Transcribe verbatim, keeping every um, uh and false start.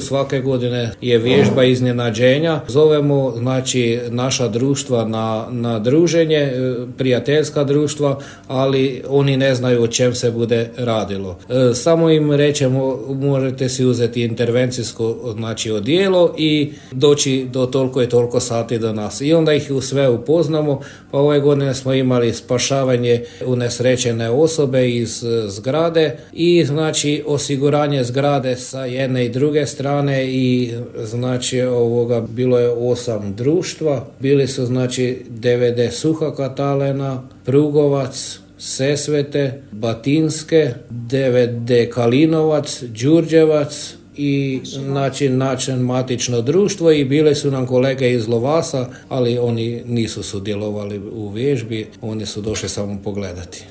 svake godine je vježba iznenađenja. Zovemo znači naša društva na, na druženje, prijateljska društva, ali oni ne znaju o čem se bude radilo. Samo im rećemo možete si uzeti intervencijsko znači odijelo i doći do toliko i toliko sati do nas. I onda ih u sve upoznamo. Pa ove godine smo imali spašavanje unesrećene osobe iz zgrade i znači osiguranje zgrade sa jedne i druge strane i znači ovoga bilo je osam društva. Bili su znači D V D Suha Katalena, Prugovac, Sesvete, Batinske, D V D Kalinovac, Đurđevac i znači način matično društvo i bile su nam kolege iz Lovasa, ali oni nisu sudjelovali u vježbi, oni su došli samo pogledati.